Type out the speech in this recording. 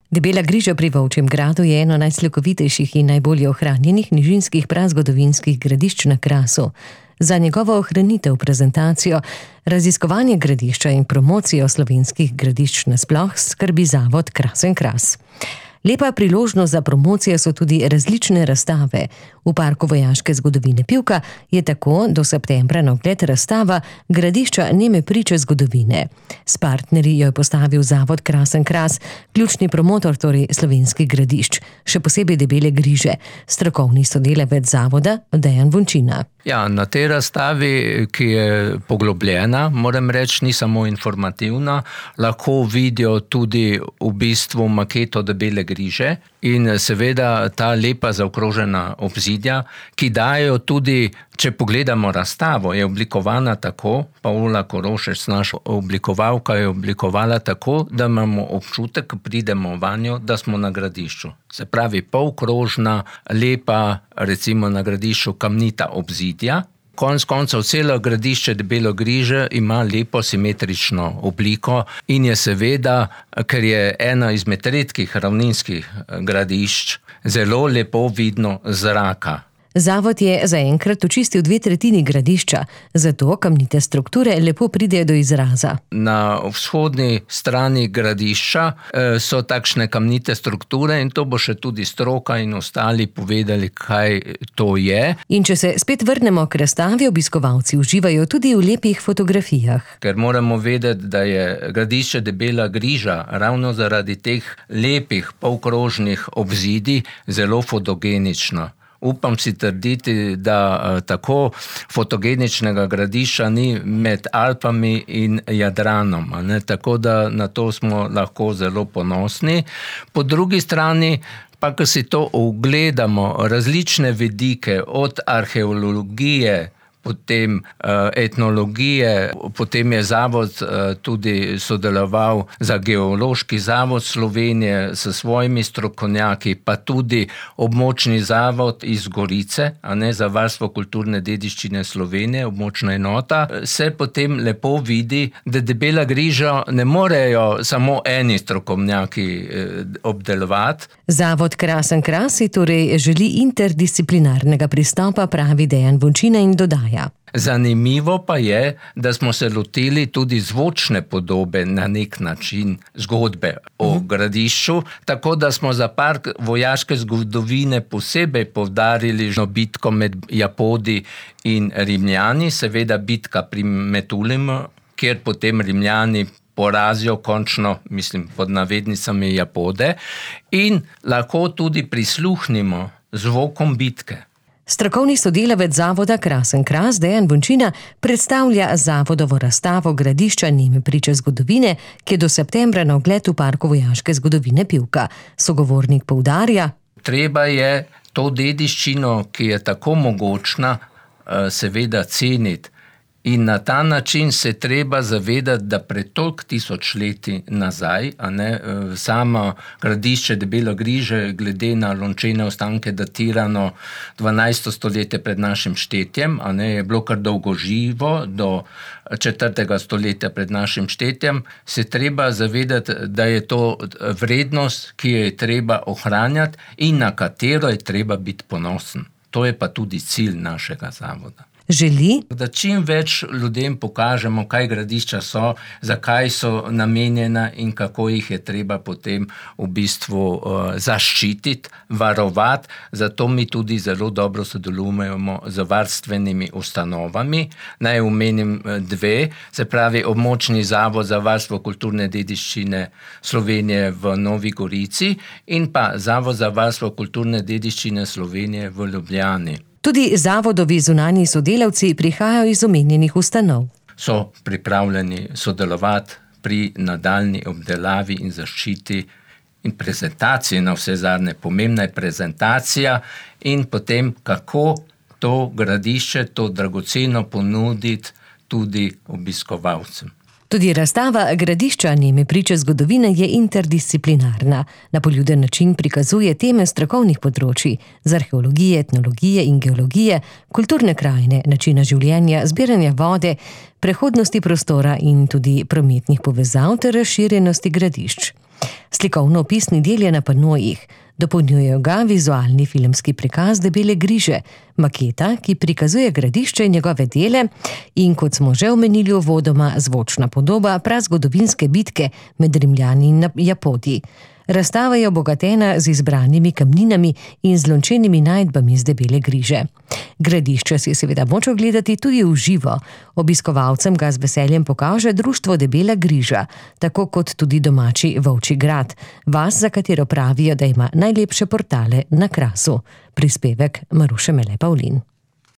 Debela griža pri Volčjem gradu je eno najslikovitejših in najbolje ohranjenih nižinskih prazgodovinskih gradišč na Krasu. Za njegovo ohranitev, prezentacijo, raziskovanje gradišča in promocijo slovenskih gradišč nasploh skrbi zavod Krasen Kras. Lepa priložnost za promocijo so tudi različne razstave. V Parku vojaške zgodovine Pivka je tako do septembra na ogled razstava Gradišča neme priče zgodovine. S partnerji jo je postavil zavod Krasen Kras, ključni promotor torej slovenskih gradišč, še posebej Debele griže, strokovni sodelavec zavoda Dejan Vončina. Ja, na tej razstavi, ki je poglobljena, moram reči, ni samo informativna, lahko vidijo tudi v bistvu maketo Debele griže in seveda ta lepa zaokrožena obzidja, ki dajo tudi, če pogledamo razstavo, je oblikovana tako, Paula Korošec, naša oblikovalka, je oblikovala tako, da imamo občutek, ko pridemo vanjo, da smo na gradišču. Se pravi, polkrožna, lepa, recimo na gradišču kamnita obzidja. Konec koncev celo gradišče Debelo griže ima lepo simetrično obliko in je seveda, ker je ena izmed redkih ravninskih gradišč, zelo lepo vidno z zraka. Zavod je zaenkrat očistil 2/3 gradišča, zato kamnite strukture lepo pridejo do izraza. Na vzhodni strani gradišča so takšne kamnite strukture in to bo še tudi stroka in ostali povedali, kaj to je. In če se spet vrnemo k razstavi, obiskovalci uživajo tudi v lepih fotografijah. Ker moramo vedeti, da je gradišče Debela griža ravno zaradi teh lepih polkrožnih obzidij zelo fotogenično. Upam si trditi, da tako fotogeničnega gradišča ni med Alpami in Jadranom, ne? Tako da na to smo lahko zelo ponosni. Po drugi strani pa, ko si to ogledamo, različne vidike od arheologije, potem etnologije, potem je zavod tudi sodeloval za Geološki zavod Slovenije s svojimi strokovnjaki, pa tudi območni zavod iz Gorice, a ne, za varstvo kulturne dediščine Slovenije, območna enota, se potem lepo vidi, da Debela griža ne morejo samo eni strokovnjaki obdelovati. Zavod Krasen Kras si torej želi interdisciplinarnega pristopa, pravi Dejan Vončina in dodaja. Zanimivo pa je, da smo se lotili tudi zvočne podobe na nek način zgodbe o gradišču, tako da smo za Park vojaške zgodovine posebej poudarili bitko med Japodi in Rimljani, seveda bitka pri Metulimu, kjer potem Rimljani porazijo končno, mislim, pod navednicami Japode, in lahko tudi prisluhnimo zvokom bitke. Strokovni sodelavec zavoda Krasen Kras Dejan Vončina predstavlja zavodovo razstavo Gradišča neme priče zgodovine, ki je do septembra na ogled v Parku vojaške zgodovine Pivka. Sogovornik poudarja: treba je to dediščino, ki je tako mogočna, seveda ceniti. In na ta način se treba zavedati, da pred toliko tisočletji nazaj, a ne, samo gradišče Debelo griže glede na lončene ostanke datirano 12. stoletje pred našim štetjem, a ne, je bilo kar dolgo živo, do 4. stoletja pred našim štetjem, se treba zavedati, da je to vrednost, ki jo je treba ohranjati in na katero je treba biti ponosen. To je pa tudi cilj našega zavoda. Želi, da čim več ljudem pokažemo, kaj gradišča so, zakaj so namenjena in kako jih je treba potem v bistvu zaščititi, varovati. Zato mi tudi zelo dobro sodelujemo z varstvenimi ustanovami. Naj omenim 2, se pravi območni zavod za varstvo kulturne dediščine Slovenije v Novi Gorici in pa Zavod za varstvo kulturne dediščine Slovenije v Ljubljani. Tudi zavodovi zunanji sodelavci prihajajo iz omenjenih ustanov. So pripravljeni sodelovati pri nadaljnji obdelavi in zaščiti in prezentaciji, na vse zadnje. Pomembna je prezentacija in potem, kako to gradišče, to dragoceno ponuditi tudi obiskovalcem. Tudi razstava Gradišča neme priče zgodovine je interdisciplinarna. Na poljuden način prikazuje teme strokovnih področij, z arheologije, etnologije in geologije, kulturne krajine, načina življenja, zbiranja vode, prehodnosti prostora in tudi prometnih povezav ter razširjenosti gradišč. Slikovno-opisni del je na panojih, dopolnjujejo ga vizualni filmski prikaz Debele griže, maketa, ki prikazuje Gradišče in njegove dele, in kot smo že omenili uvodoma, zvočna podoba prazgodovinske bitke med Rimljani in Japoti. Razstava je obogatena z izbranimi kamninami in zlončenimi najdbami z Debele griže. Gradišče si je seveda moč ogledati tudi v živo. Obiskovalcem ga z veseljem pokaže društvo Debela griža, tako kot tudi domači Volčji grad, vas, za katero pravijo, da ima najlepše portale na Krasu. Prispevek Maruše Mele Pavlin.